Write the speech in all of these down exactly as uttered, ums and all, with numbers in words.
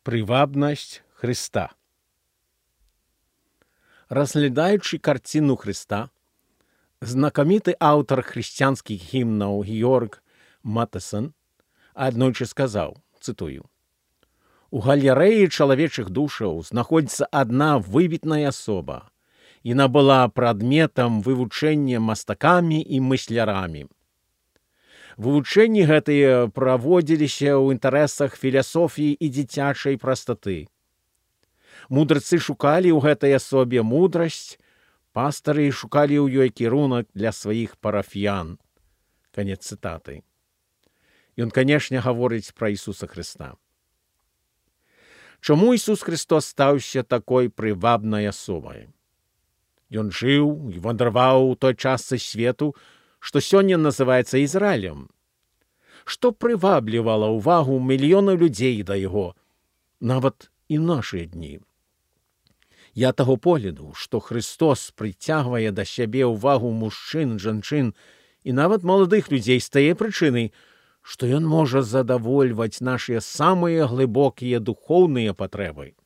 Привабність Христа. Розглядаючи картину Христа, знакомитий автор християнських гімнів Георг Матесон аднойчы сказаў, цитую: «У галерэі чалавечых душаў знаходзіцца адна выбітная асоба. Яна была прадметам вывучэння мастакамі і мыслярамі. Вывучэнні гэтыя праводзіліся ў інтарэсах філасофіі і дзіцячай прастаты. Мудрацы шукалі ў гэтай асобе мудрасць, пастары шукалі ў ёй кірунак для сваіх парафіян». Канец цытаты. Ён, канешне, гаворыць пра Ісуса Хрыста. Чаму Ісус Христос стаўся такой прывабнай асобай? Ён жыў і вандраваў у той частцы свету, што сёння называецца Ізраілем. Што прываблівала ўвагу мільёнаў людзей да яго, нават і нашыя дні. Я таго погляду, што Христос прыцягвае да сябе ўвагу мужчын, жанчын і нават маладых людзей з тае прычыны, што ён можа задавольваць нашыя самыя глыбокія духоўныя патрэбы.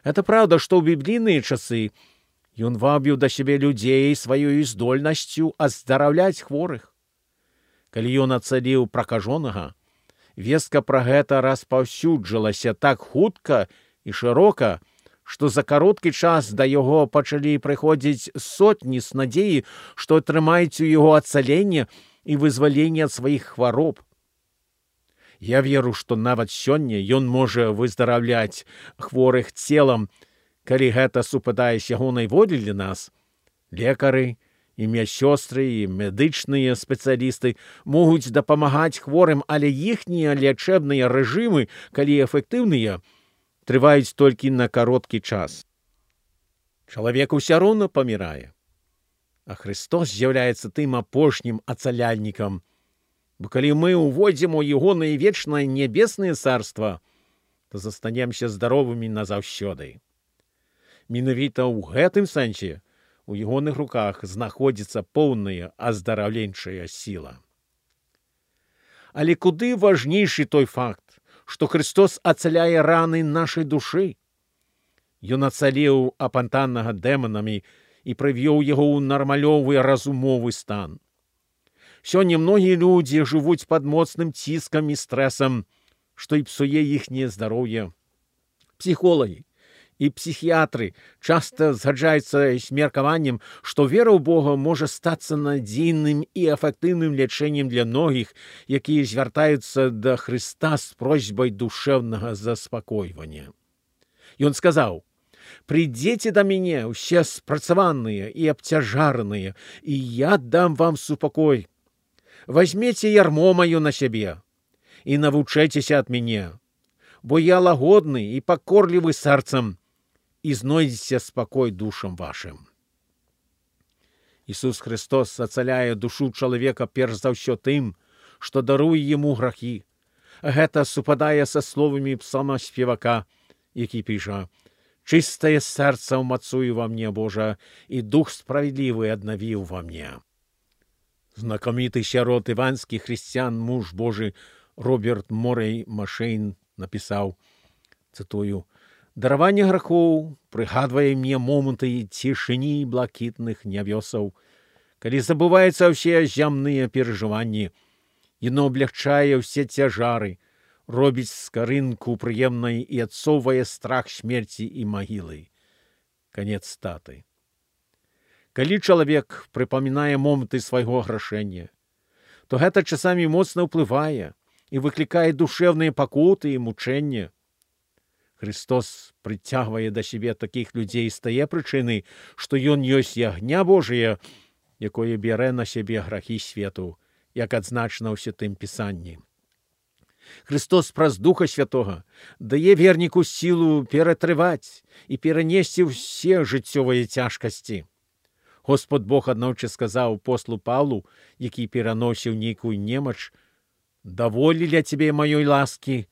Это праўда, што ў біблійныя часы ён вабіў да сябе людзей сваёй здольнасцю аздараўляць хворых. Калі ён ацаліў пракажонага, вестка пра гэта распаўсюджалася так хутка і шырока, што за кароткі час да яго пачалі прыходзіць сотні з надзеі, што атрымаюць у яго ацаленне і вызваленне ад сваіх хвароб. Я веру, што нават сёння ён можа выздараўляць хворых целам, калі гэта супадае з ягонай волі для нас. Лекары і медсёстры і медычныя спецыялісты могуць дапамагаць хворым, але іхнія лячэбныя рэжымы, калі эфектыўныя, трываюць толькі на кароткі час. Чалавек усё роўна памірае. А Христос з'яўляецца тым апошнім ацаляльнікам. Бо калі мы увойдзем у ягонае вечнае нябеснае царства, то застанемся здаровымі назаўсёды. Менавіта ў гэтым сэнсе у ягоных руках знаходзіцца поўная аздараўленчая сіла. Але куды важнейшы той факт, што Христос ацаляе раны нашай душы. Ён ацаліў апантанага дэманамі і прывёў яго ў нармалёвы разумовы стан. Сёння многія людзі жывуць пад моцным ціскам і стрэсам, што і псуе іхняе здароўе. Псіхолагі і псіхіятры часта згаджаюцца з меркаваннем, што вера ў Бога можа стацца надзейным і эфектыўным лячэннем для многіх, якія звяртаюцца да Хрыста з просьбай душэўнага заспакойвання. Ён сказаў: «Прыйдзеце да мяне ўсе спрацаваныя і абцяжараныя, і я дам вам супакой. Вазьмеце ярмо маё на сябе і навучайцеся ад мяне, бо я лагодны і пакорлівы сэрцам, і знойдзеце спакой душам вашым». Ісус Христос ацаляе душу чалавека перш за ўсё тым, што даруе яму грахі. Гэта супадае са словамі псалмаспевака, які піша: «Чыстае сэрца ўмацуй ва мне, Божа, і дух справядлівы аднавіў ва мне». Знакаміты сярод іванскіх хрысціян муж Божы Роберт Морэй Машэйн напісаў, цытую: «Дараванне грахоў прыгадвае мне моманты цішыні блакітных нябёсаў, калі забываюцца ўсе зямныя перажыванні. Яно аблягчае ўсе цяжары, робіць скарынку прыемнай і адсоўвае страх смерці і магілы». Канец цытаты. Калі чалавек прыпамінае моманты свайго грашэння, то гэта часамі моцна ўплывае і выклікае душэўныя пакуты і мучэння. Христос прыцягвае да сябе такіх людзей з тае прычыны, што ён ёсць ягня Божыя, якое бярэ на сябе грахі свету, як адзначана ў Святым Пісанні. Христос праз Духа Святога дае верніку сілу ператрываць і перанесці ўсе жыццёвыя цяжкасці. Господ Бог аднойчы сказаў апостолу Паўлу, які пераносіў нейкую немач: «Даволі ля цябе маёй ласкі,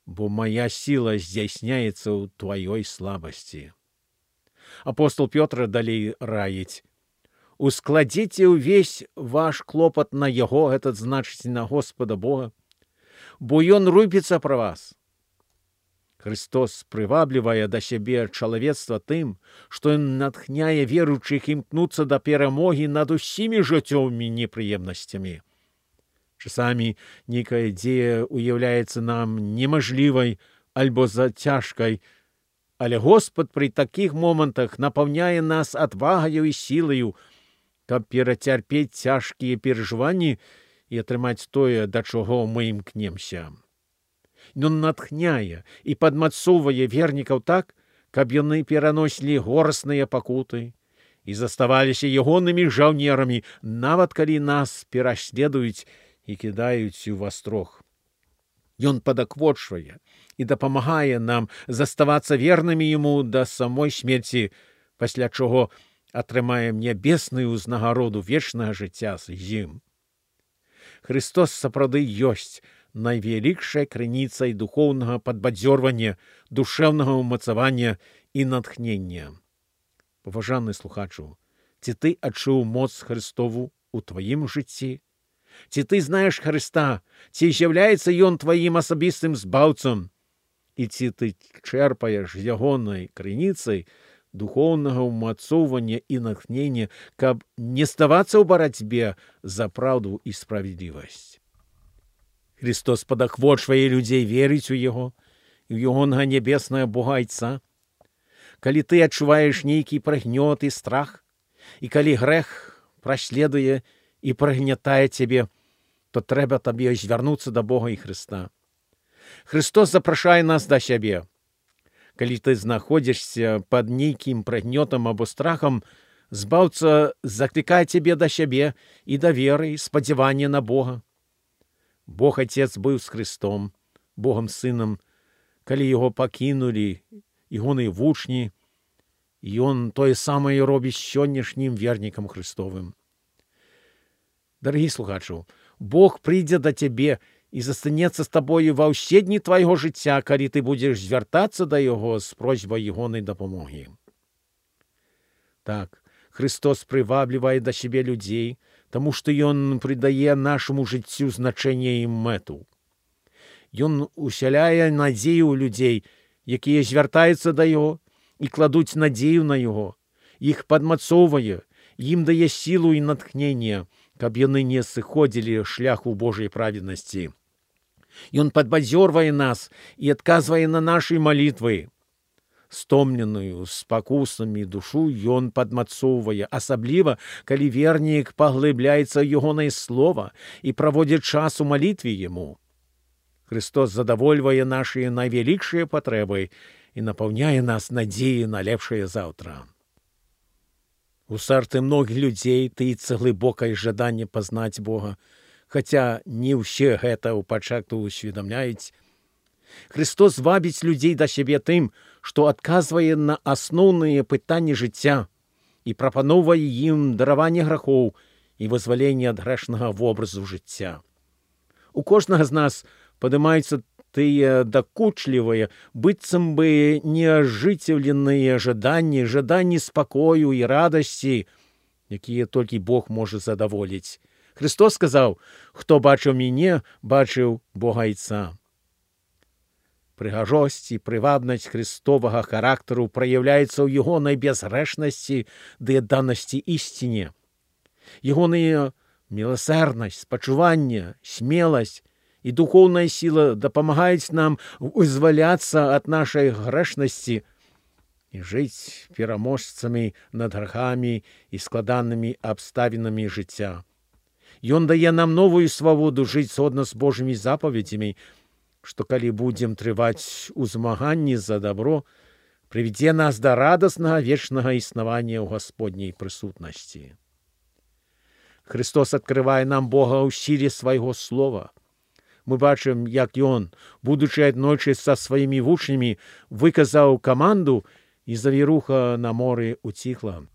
бо моя сила здзяйсняецца ў тваёй слабасці». Апостол Пётр далей раіць: «Ускладзіце ўвесь ваш клопат на яго, гэта значыць на Господа Бога, бо ён рупіцца пра вас». Христос прываблівае да сябе чалавецтва тым, што ён натхняе веруючых імкнуцца да перамогі над усімі жыццёвымі непрыемнасцямі. Часамі нейкая дзея уяўляецца нам немажлівай альбо зацяжкай, але Господ пры такіх момантах напаўняе нас адвагаю і сілаю, каб перацярпець цяжкія перажыванні і атрымаць тое, да чаго мы імкнемся. Ён натхняе і падмацоўвае вернікаў так, каб яны пераносілі горсныя пакуты і заставаліся ягонымі жаўнерамі, нават калі нас пераследуюць і кідаюць у вастрог. Ён падаквочвае і дапамагае нам заставацца вернымі яму да самой смерці, пасля чаго атрымаем нябесную ўзнагароду вечнага жыцця з ім. Христос сапраўды ёсць найвялікшай крыніцай духоўнага падбадзёрвання, душэўнага ўмацавання і натхнення. Паважаны слухачу, ці ты адчуў моц Христову у тваім жыцці? Ці ты знаеш Христа? Ці з'яўляецца ён тваім асабістым збаўцам? І ці ты чэрпаеш ягонай крыніцай духоўнага ўмацоўвання і натхнення, каб не ставацца ў барацьбе за праўду і справядлівасць? Христос падахвочвае людзей верыць у Яго і ў ягонага нябеснага Бога-Айца. Калі ты адчуваеш нейкі прагнёт і страх, і калі грэх праследуе і прагнятае цябе, то трэба табе звярнуцца да Бога і Христа. Христос запрашае нас да сябе. Калі ты знаходзішся пад нейкім прагнётам або страхам, збаўца заклікае цябе да сябе і да веры, і спадзявання на Бога. Бог Отец быў з Христом, Богом Сынам, калі яго пакінулі ягоныя вучні, і ён тое самае робіць сённяшнім вернікам Христовым. Дарагі слухачу, Бог прыйдзе да цябе і застанецца з табою ва ўсе дні твайго жыцця, калі ты будзеш звяртацца да Яго з просьбай ягонай дапамогі. Так, Христос прываблівае да сябе людзей, таму што ён прыдае нашаму жыццю значэнне і мэту. Ён усяляе надзею ў людзей, якія звяртаюцца да Яго і кладуць надзею на Яго, іх падмацоўвае, ім дае сілу і натхненне, каб яны не сыходзілі шляху Божай праведнасці. Ён падбадзёрвае нас і адказвае на нашы малітвы. Стомленую спакусамі душу ён падмацоўвае, асабліва, калі вернік паглыбляецца ў ягонае слова і праводзіць час у малітве яму. Христос задавольвае нашыя найвялікшыя патрэбы і напаўняе нас надзеяй на лепшае заўтра. У сэрцы многіх людзей тыецца глыбокае жаданне пазнаць Бога, хаця не ўсе гэта ў пачатку усведамляюць. Христос вабіць людзей да сябе тым, што адказвае на асноўныя пытанні жыцця і прапаноўвае ім дараванне грахоў і вызваленне ад грэшнага вобразу жыцця. У кожнага з нас падымаюцца тыя дакучлівыя, быццам бы неажыццяўленыя жаданні, жаданні спакою і радасці, якія толькі Бог можа задаволіць. Христос сказаў: «Хто бачыў мяне, бачыў Бога-Айца». Прыгажосць і прывабнасць христовага характару праяўляецца ў ягонай бязгрэшнасці ды адданасці ісціне. Ягоная міласэрнасць, спачуванне, смеласць і духоўная сіла дапамагаюць нам вызваляцца ад нашай грэшнасці і жыць пераможцамі над грахамі і складанымі абставінамі жыцця. Ён дае нам новую свабоду жыць згодна з Божымі запаведзямі, што калі будзем трываць у змаганні за дабро, прывядзе нас да радаснага вечнага існавання ў Гасподняй прысутнасці. Христос адкрывае нам Бога ў сіле свайго слова. Мы бачым, як ён, будучы аднойчы са сваімі вучнямі, выказаў каманду, і завіруха на моры уціхла.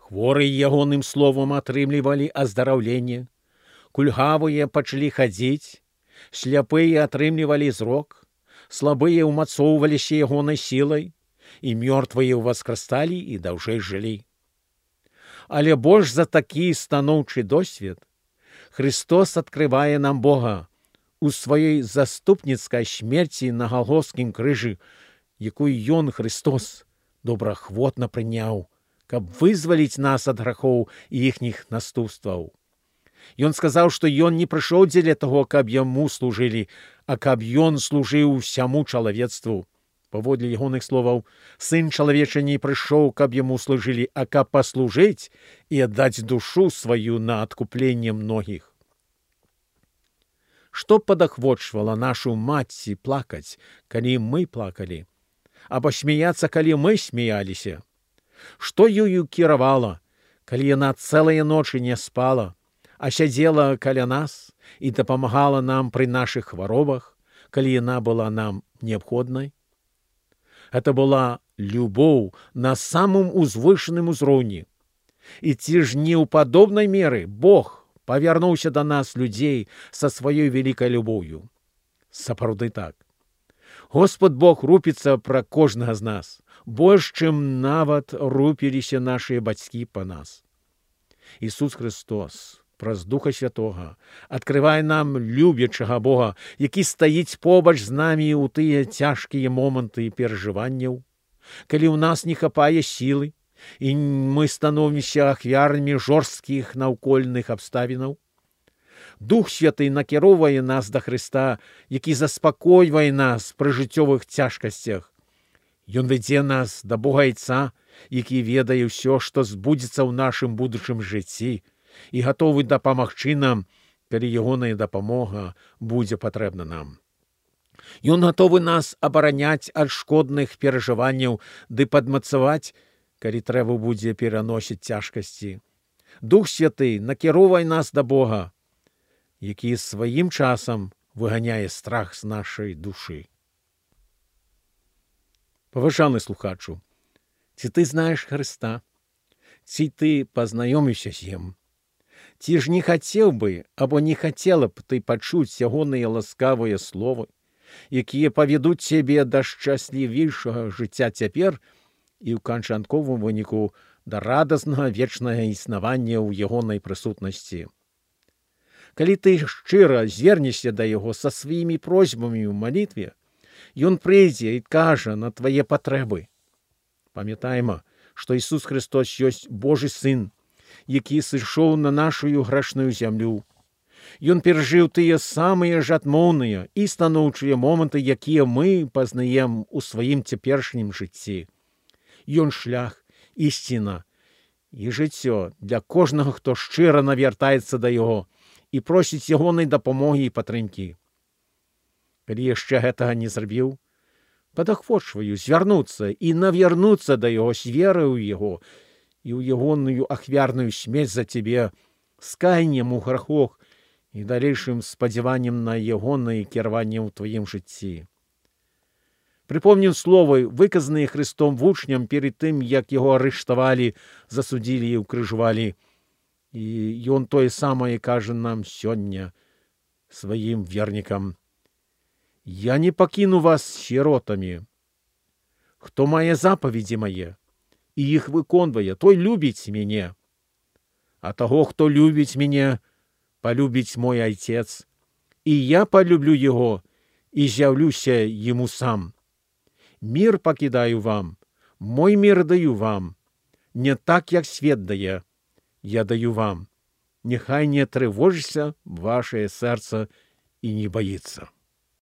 Хворыя ягоным словам атрымлівалі аздараўленне, кульгавыя пачалі хадзіць, сляпыя атрымлівалі зрок, слабыя ўмацоўваліся ягонай сілай, і мёртвыя ўваскрасталі і даўжэй жылі. Але больш за такі станоўчы досвед Христос адкрывае нам Бога у сваёй заступніцкай смерці на галгофскім крыжы, якую ён, Христос, добраахвотна прыняў, каб вызваліць нас ад грахоў і іхніх наступстваў. Ён сказаў, што ён не прыйшоў дзеля таго, каб яму служылі, а каб ён служыў усяму чалавецтву. Паводле ягоных словаў, сын чалавечы не прыйшоў, каб яму служылі, а каб паслужыць і аддаць душу сваю на адкупленне многіх. Што падахвочвала нашу маці плакаць, калі мы плакалі? Або смяяцца, калі мы смяяліся? Што ёю кіравала, калі яна цэлыя ночы не спала, а сядзела каля нас і дапамагала нам пры нашых хваробах, калі яна была нам неабходнай? Гэта была любоў на самым узвышаным узроўні. І ці ж не ў падобнай меры Бог павярнуўся да нас, людзей, са сваёй вялікай любоўю? Сапраўды так. Господ Бог рупіцца пра кожнага з нас, больш, чым нават рупіліся нашыя бацькі па нас. Ісус Христос праз Духа Святога адкрывае нам любячага Бога, які стаіць побач з намі ў тыя цяжкія моманты перажыванняў, калі ў нас не хапае сілы, і мы становімся ахвярамі жорсткіх наўкольных абставінаў. Дух Святы накіроўвае нас да Хрыста, які заспакойвае нас пры жыццёвых цяжкасцях. Ён вядзе нас да Бога Айца, які ведае ўсё, што збудзецца ў нашым будучым жыцці, і гатовы дапамагчы нам, калі ягоная дапамога будзе патрэбна нам. Ён гатовы нас абараняць ад шкодных перажыванняў ды падмацаваць, калі трэба будзе пераносіць цяжкасці. Дух Святы накіроўвае нас да Бога, які сваім часам выганяе страх з нашай душы. Паважаны слухачу, ці ты знаеш Хрыста? Ці ты пазнаёміўся з ім? Ці ж не хацеў бы, або не хацела б ты пачуць ягоныя ласкавыя словы, якія павядуць цябе да шчаслівейшага жыцця цяпер і ў канчатковым выніку да радаснага вечнага існавання ў ягонай прысутнасці. Калі ты шчыра звернешся да яго са сваімі просьбамі ў малітве, ён прыйдзе і кажа на твае патрэбы. Памятайма, што Ісус Христос ёсць Божы Сын, які сышоў на нашую грэшную зямлю. Ён перажыў тыя самыя ж адмоўныя і станоўчыя моманты, якія мы пазнаем у сваім цяперашнім жыцці. Ён шлях, ісціна і жыццё для кожнага, хто шчыра навяртаецца да яго і просіць ягонай дапамогі і падтрымкі. Калі яшчэ гэтага не зрабіў, падахвочваю звярнуцца і навярнуцца да яго з вераю ў яго і ў ягоную ахвярную смерць за цябе, з каяннем у грахах і далейшым спадзяваннем на ягонае кіраванне ў тваім жыцці. Прыпомнім словы, выказаныя Христом вучням перед тым, як яго арыштавалі, засудзілі і ўкрыжавалі. І ён тое самае кажа нам сёння сваім вернікам. «Я не пакіну вас сіротамі. Хто мае запаведзі мае і іх выконвае, той любіць мяне. А таго, хто любіць мяне, палюбіць мой Айцец, і я палюблю яго і з'яўлюся яму сам. Мір пакідаю вам, мой мір даю вам, не так, як свет дае, я даю вам. Няхай не трывожыцца вашае сэрца і не баіцца».